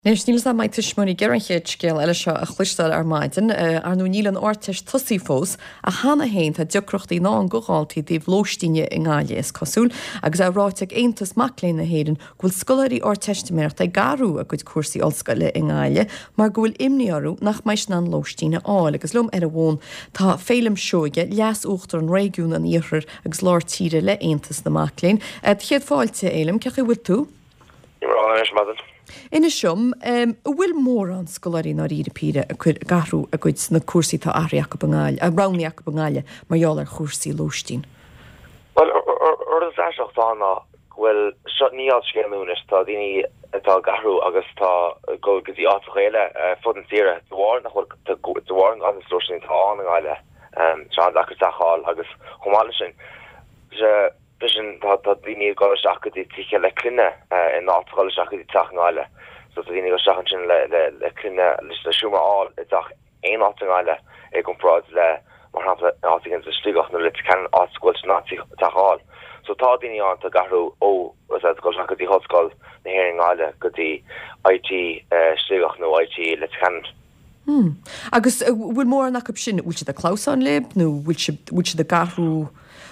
Anois, níl 'fhios a'm an mbeidh tuismitheoirí ag iarraidh an chéad scéal eile seo a chloisteáil ar maidin. Ar ndóigh, níl an Ardteist tosaithe fós, ach cheana féin tá deacrachtaí i ndán do dhaltaí i dtaobh lóistíne i nGaillimh, is cosúil, agus é ráite ag Aontas Mac Léinn na hÉireann go bhfuil scoláirí Ardteistiméireachta ag athrú a gcuid cúrsaí ollscoile i nGaillimh mar go bhfuil imní orthu nach mbeidh siad in ann lóistín a fháil. Agus liom ar an bhfón tá Féilim Seoige, Leas-Uachtarán Réigiún an Iarthair agus Lár Tíre le Aontas na Mac Léinn. Do chéad fáilte, a Fhéilim, cén chaoi a bhfuil tú? Anois maidin. Inis dom, an bhfuil mórán scoláirí i ndáiríre píre ag cur, ag athrú a gcuid, na cúrsaí atá athraithe acu i nGaillimh, roghnaithe acu i nGaillimh mar gheall ar chúrsaí lóistín? Bhuel, rud is aisteach atá ann ná go bhfuil, seo, ní scéal nua anois, tá daoine atá ag athrú agus atá ag dul go dtí áiteacha eile ar fud na tíre de bharr nach bhfuil, de bharr an ghanntanas lóistín atá ann i nGaillimh, tá sé an-deacair teach a fháil agus chomh maith leis sin, Freisin tá daoine ag dul isteach go dtí tithe le clainne in áit dhul isteach go dtí teach i nGaillimh. So tá daoine ag dul isteach ansin le le clainne le seomra a fháil i dteach aon áit i nGaillimh i gcomparáid le mar shampla in áit éigin i Sligeach nó Leitir Ceanainn áit go bhfuil siad in ann teach a fháil. So tá daoine ann atá ag athrú ó ag dul isteach go dtí Ollscoil na hÉireann i nGaillimh go dtí IT Sligeach nó IT Leitir Ceanainn. Hmm. Agus bhfuil mórán acu sin, bhfuil siad ag clamhsán libh nó bhfuil siad, bhfuil siad ag athrú,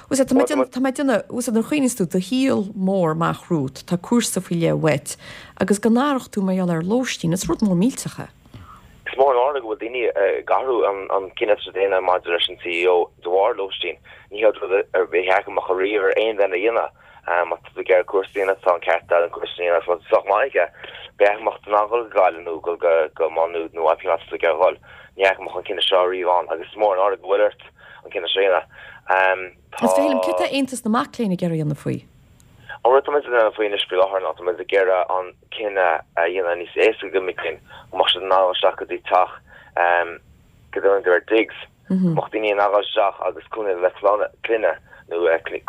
bhfuil tá mé déanamh, tá mé déanamh, bhfuil nuair a chuimhníos tú, do shaol mór amach romhat, tá cúrsa faoi leith uait agus go n-athródh tú mar gheall ar lóistín, is rud mór millteach é. Is mór an náire go bhfuil daoine ag athrú an cinneadh atá siad a dhéanamh maidir leis an CAO de bharr lóistín. Ní hé rud ar bith a mbeadh riamh ar aon duine a dhéanamh. Má tá tú ag iarraidh cúrsa a dhéanamh, tá an ceart agat an cúrsa a dhéanamh agus sách maith aige. B'fhéidir go mbeadh tú in ann dhul go Gaillimh nó dhul go Má Nuad nó pé áit atá tú ag iarraidh dhul. Ní fheicim an cinneadh seo riamh ann agus is mór an náire go bhfuil ort an cinneadh seo a dhéanamh. Tá. Is Féilim, céard tá Aontas na Mac Léinn ag iarraidh a dhéanamh faoi? An rud atá muid ag déanamh faoi anois faoi láthair ná tá muid ag iarraidh an cinneadh a dhéanamh níos éasca do mic léinn, go mbeadh siad in ann dhul isteach go dtí teach go dtugann ar digs. Go mbeadh daoine in ann dhul isteach agus cónaí le clainne nó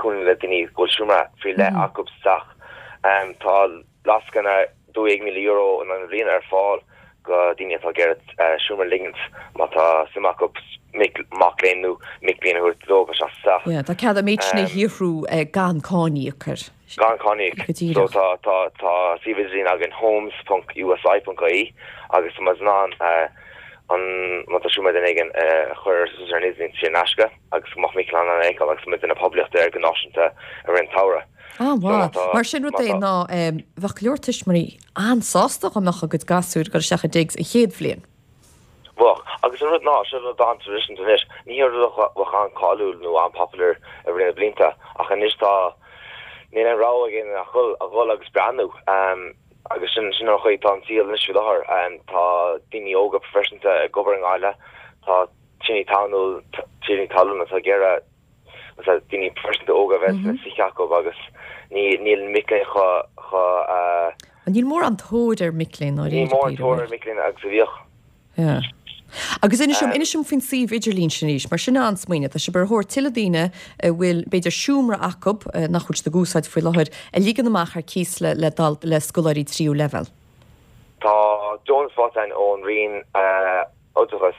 cónaí le daoine go bhfuil seomra faoi leith acu sa teach. Tá lascaine €12,000 in aghaidh na bliana ar fáil do dhaoine atá ag iarraidh seomra a ligint má tá suim acu mac léinn nó mic léinn a thabhairt dóibh isteach sa teach. Tá cead an méid sin a shaothrú gan cáin a íoc air. Gan cáin a íoc. Go díreach. So tá, tá, tá suíomh idirlín againn homes ponc usi ponc ie agus tá muid in ann an, má tá seomra duine éigin a chur suas ar an idirlíon saor in aisce agus go mbeadh mic léinn in ann é a fheiceáil agus tá muid ag déanamh poiblíocht air go náisiúnta i rith an tsamhraidh. Ah, So má mhaith. tá, Mar sin rud má é tá. ná bheadh go leor tuismitheoirí an-sásta dá mbeadh a gcuid gasúir ag dul isteach i digs an chéad bhliain. Bheadh. Agus an rud ná, seo rud an-traidisiúnta anois, ní hé rud a bheadh an-cáiliúil nó an-popular i rith na blianta, ach anois tá, níl aon rogha ag éinne ach dhul, a dhul agus breathnú. Agus sin, sin an chaoi atá an saol anois faoi láthair. Tá daoine óga proifisiúnta ag obair i nGaillimh, tá tiarnaí talún, tiarnaí talún atá ag iarraidh daoine proifisiúnta óga a bheith sna tithe acu agus ní, níl mic léinn chomh, chomh. Níl mórán tóir ar mic léinn Níl mórán tóir ar mic léinn agus a bhíodh. Yeah. Agus inis dom, inis dom faoin suíomh idirlín sin arís, mar sin an-smaoineamh. Tá sibh ar thóir tuilleadh daoine a bhfuil, b'fhéidir, seomra acu nach bhfuil siad ag úsáid faoi láthair, a ligean amach ar cíos le, le, le scoláirí tríú leibhéal. Tá deontas faighte againn ón Roinn Oideachais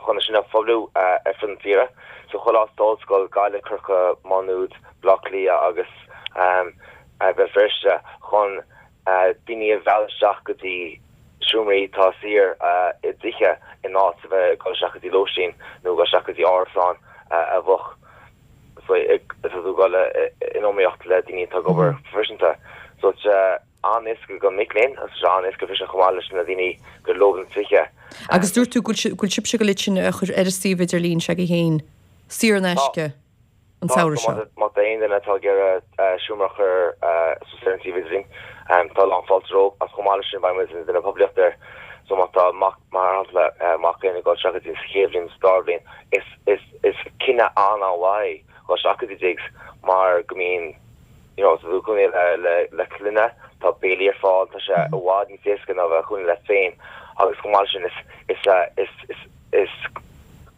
chun é sin a phoibliú ar fud na tíre. So chuile áit tá ollscoil, Gaillimh, Corcaigh, Má Nuad, Baile Átha Cliath agus Béal Feirste chun daoine a mhealladh isteach go dtí seomraí atá saor i dtithe in áit a bheith ag dul isteach go dtí lóistín nó ag dul isteach go dtí árasán a bheadh tá tú ag dul in iomaíocht le daoine atá ag obair proifisiúnta. So an-éasca do mhic léinn agus tá sé an-éasca freisin chomh maith leis na daoine gur leo na tithe. Agus dúirt tú go bhfuil sibhse ag dul iad sin a chur ar an suíomh idirlín s'agaibh féin saor in aisce an samhradh seo. Tá, má tá aon duine atá ag iarraidh seomra a chur suas ar an suíomh idirlín, tá lán fáilte rompu agus chomh maith leis sin beidh muid ag déanamh poiblíocht air. So má tá mac, mar shampla, mac léinn ag dul isteach go dtí sa chéad bhliain, sa dara bhliain, is, is, is cinneadh an-an-mhaith é dhul isteach go dtí digs mar go mbíonn, you know, tá tú ag cónaí le le clainne, tá béilí ar fáil, tá sé i bhfad níos éasca ná bheith ag cónaí leat féin agus chomh maith leis sin is is is is is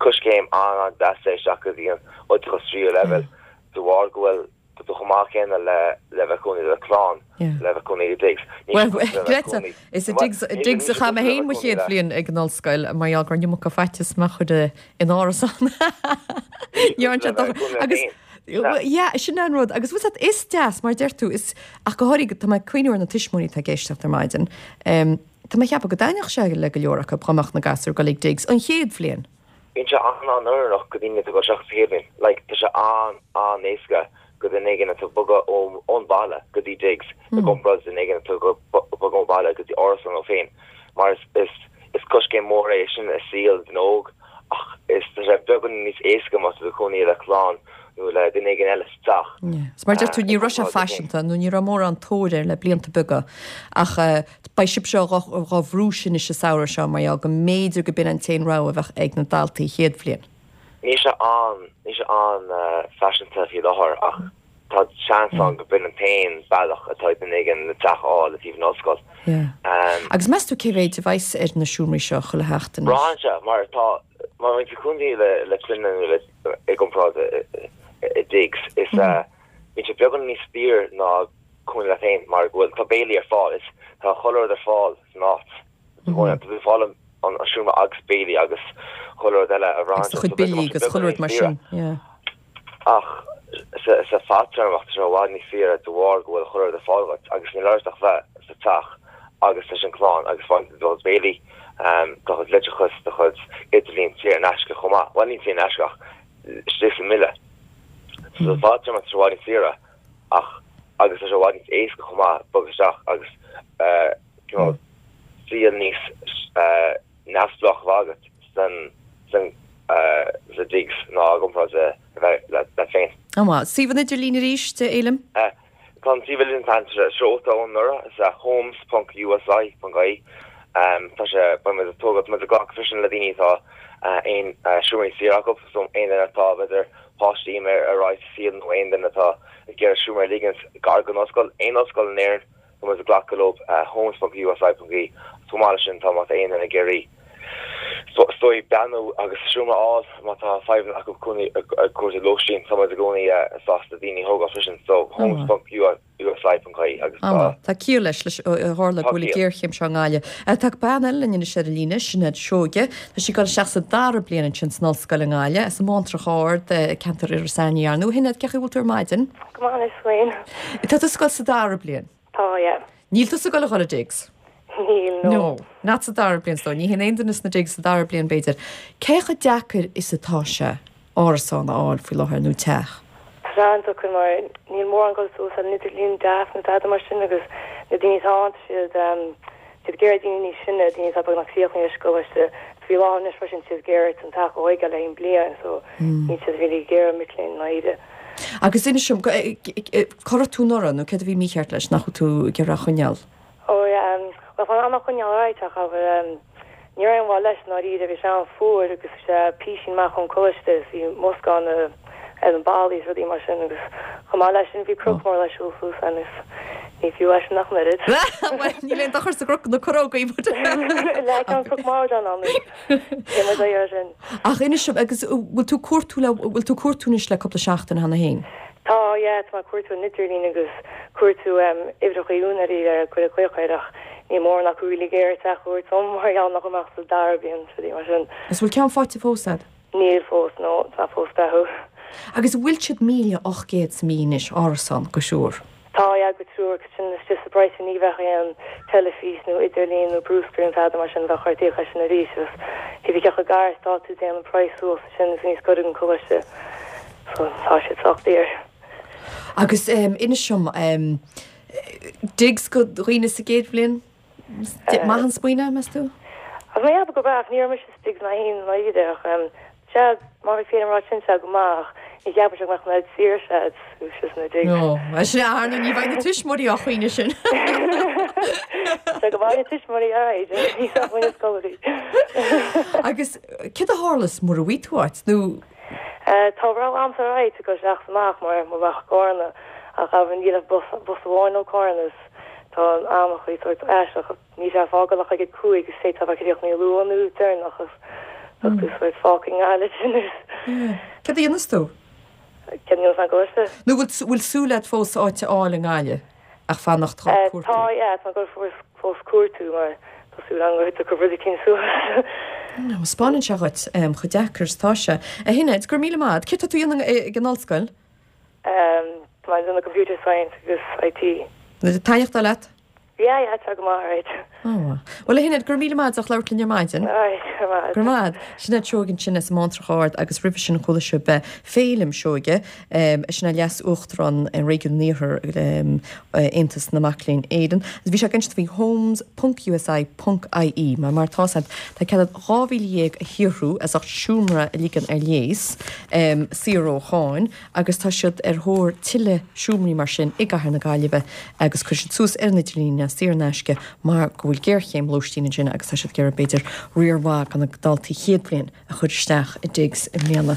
coiscéim an-an-deas é isteach go dtí an oideachas tríú leibhéal de bharr go bhfuil tá tú chomh maith céanna le le bheith ag cónaí le clann, le bheith ag cónaí i digs. Bhuel, Greta, is i digs i digs a chaith mé féin mo chéad bhliain ag an ollscoil mar gheall go raibh an iomarca faitíos mé a chur in árasán. Ní raibh sé dochar. Agus Yeah, sin an rud. Agus bhfuil is deas, mar deir tú, is, ach go háirithe, tá mé ag cuimhniú ar na tuismitheoirí atá ag éisteacht ar maidin. Tá mé ag ceapadh go dtaitneodh sé le go leor acu dhá mbeadh na gasúir ag dul ag digs an chéad bhliain. Bíonn sé an-an-oiriúnach go daoine atá ag dul isteach sa chéad bhliain. Like, tá sé an-an-éasca go duine éigin atá ag bogadh ón bhaile go dtí digs i gcomparáid le duine éigin atá ag bogadh ón bhaile go dtí árasán leo féin. Mar is is is coiscéim mór é sin i saol duine óg ach is tá sé beagán níos éasca má tá tú ag cónaí le clann nó le duine éigin eile sa teach. Yeah. Is mar a deir tú ní raibh sé faiseanta nó ní raibh mórán tóir air le blianta beaga ach beidh sibhse dhá bhrú sin anois an samhradh seo mar gheall go mb'fhéidir go b'in an t-aon rogha a bheadh ag na daltaí chéad bhliain. Níl sé an, níl sé an-fhaiseanta faoi láthair ach tá seans ann go b'in an t-aon bealach atá ag duine éigin le teach a fháil le taobh an ollscoil. Yeah. Agus meas tú cé mhéid a bheas ar na seomraí seo chuile sheachtain? Braitheann sé mar tá, má bhíonn tú ag cónaí le le clainne nó le i gcomparáid i digs is bíonn sé beagán níos daoire ná cónaí leat féin mar go bhfuil tá béilí ar fáil is tá chuile rud ar fáil san áit. Tá tú ag fáil an seomra agus béilí agus chuile rud eile a bhraitheann sé do chuid billí agus chuile rud mar sin yeah. Ach sa sa fadtéarmach tá sé i bhfad níos saoire de bharr go bhfuil chuile rud ar fáil dhuit agus níl ort ach bheith sa teach agus leis an clann agus faigheann tú do chuid béilí, do chuid leictreachas, do chuid idirlíon saor in aisce chomh maith, bhuel ní saor in aisce ach istigh sa mbille. So sa fadtéarmach tá sé i bhfad níos saoire ach agus tá sé i bhfad níos éasca chomh maith bogadh isteach agus you know saol níos neamhspleách a bheith agat san san sa digs ná i gcomparáid le bheith leat féin. An maith. Suíomh an idirlín arís, a Fhéilim? Tá an suíomh idirlín tá sé seolta ó anuraidh, is é homes ponc usi ponc ie. Tá sé, beidh muid ag tógáil, tá muid ag glacadh freisin le daoine atá aon seomraí saor acu, so aon duine atá, b'fhéidir, páistí imithe ar aghaidh sa saol nó aon duine atá ag iarraidh seomra a ligint gar don ollscoil, aon ollscoil in Éirinn, Tá muid ag glacadh leo, homes.usi.ie. Chomh maith leis sin, tá má tá aon duine ag iarraidh is dóigh breathnú agus seomra a fháil má tá fadhbanna acu cónaí ag cuartú lóistín, tá muid i gcónaí sásta daoine a thógáil freisin. So, homes.usi.ie agus tá. Tá ciall leis, leis ó tharla go bhfuil an ghéarchéim seo i nGaillimh. Tá bean eile linn anois ar an líne, Sinéad Seoige. Tá sí ag dul isteach sa dara bliain ansin san ollscoil i nGaillimh, as an mBántrach Ard, ceantar Iorras Aithneach, ar ndóigh. A Shinéad, cén chaoi a bhfuil tú ar maidin? Go maith anois féin. Tá tusa ag dul sa dara bliain? Tá, yeah. Níl tusa ag dul a dhul i digs? Níl, no. No, not sa dara bliain, is dóigh. Ní théann aon duine sna digs sa dara bliain, b'fhéidir. Cé chomh deacair is atá sé árasán a fháil faoi láthair, nó teach? Tá sé an-deacair mar níl mórán ag dul suas ar an idirlíon deas nó tada mar sin agus na daoine atá ann tá siad siad ag iarraidh daoine níos sine, daoine atá beagnach críochnaithe leis an gcoláiste. Faoi láthair anois freisin tá siad ag iarraidh an teach a thóigeáil le haghaidh an bliain so níl siad really ag iarraidh mic léinn ndáiríre. Agus inis dom, cá raibh tú anuraidh nó céard a bhí mícheart leis, nach bhfuil tú ag iarraidh a choinneáil? Ó yeah, bhuel tá mé á choinneáil alright ach abair ní raibh aon mhaith leis i ndáiríre, bhí sé an-fhuar agus bhí sé písín amach ón coláiste is bhí musc ann ar an ballaí is rudaí mar sin agus chomh maith leis sin bhí cnoc mór le siúl suas ann is ní fiú é sin ach an oiread. Bhuel níl aon dochar sa gcnoc, na corrógaí but. Like an cnoc mór ann ann Níl muid á iarraidh sin. Ach inis dom, agus bhfuil tú cuartú le, bhfuil tú cuartú anois le cúpla seachtain cheana féin? Tá, yeah, tá mé ag cuartú an idirlíon agus cuartú uimhreacha úinéirí le cur ag glaoch air ach níl mórán acu really ag iarraidh teach a thabhairt dom mar gheall nach bhfuil mé ach sa dara bliain is rudaí mar sin. Agus bhfuil ceann faighte fós a'd? Níl fós, no, tá mé fós ag breathnú. Agus bhfuil siad 1,800 sa mí anois, árasán, go triúr? Tá, yeah, go triúr, agus sin istigh sa bpraghas sin ní bheadh aon teilifís nó idirlíon nó brúscar nó tada mar sin, bheadh ort íoc as sin arís agus cibé cé chomh gar is atá tú téann an praghas suas ansin is níos gaire don coláiste so tá siad sách daor. Agus inis dom, digs go dhaoine sa gcéad bhliain? Maith an smaoineamh, meas tú? Ach mé ag ceapadh gurb ea, ach ní raibh mise sa digs mé féin i ndáiríre, ach sea, má bhí féin ag rá sin, sea, go maith, ach ní cheapaimse go mbeadh an oiread saoirse agat istigh sna digs. No, bhuel sin é, ar ndóigh, ní bheidh na tuismitheoirí á choinne sin. Sea, go mbeidh na tuismitheoirí ar aghaidh, ní bheadh muid na scoláirí. Agus céard a tharlós mura bhfaighidh tú áit, nó? Tá rogha a'msa ar aghaidh, ag dul isteach is amach mar mo bheadh i gCarna, ach abair níl ach bus, bus amháin ó Carna is tá an amannaí sórt aisteach, níl sé ag fágáil ach ag a 5 is d'fhéadfá bheith críochnaithe luath nó deireanach is bheadh tú sórt fágtha i nGaillimh sin is. Céard a dhéanfas tú? Céard a dhéanfas mé go bhfios? Nó bhfuil súil agat fós áit a fháil i nGaillimh ach fanacht dhá cuartú? Tá, yeah, tá mé ag dul fós cuartú mar tá súil agam go dtiocfaidh rud eicínt suas. Spáineann sé dhuit chomh deacair is atá sé. A Shinéad, go raibh míle maith agat. Céard tá tú a dhéanamh ag an ollscoil? Tá mé ag déanamh computer science agus IT. Taitneamhach leat? Yeah, yeah, tá go maith, alright. Ó. Bhuel, a Shinéad, go raibh míle maith agat as labhairt linn ar maidin. Alright, go raibh maith Go raibh maith agat. Sinéad Seoige ansin as an mBántrach Ard agus roimhe sin chuala sibh Féilim Seoige, eisean é Leas-Uachtarán Réigiún an Iarthair, Aontas na Mac Léinn Éireann. Agus bhí sé ag insint faoi homes ponc USI ponc IE mar mar atá agat tá cead agat 12,000 a shaothrú as ucht seomra a ligean ar léas, saor ó cháin. agus tá siad ar thóir tuilleadh seomraí mar sin i gcathair na Gaillimhe agus cuirfidh siad suas ar an idirlíon é saor in aisce mar go bhfuil géarchéim lóistín ansin agus tá siad ag iarraidh b'fhéidir riar mhaith de na daltaí chéad bhliain a chur isteach i digs i mbliana.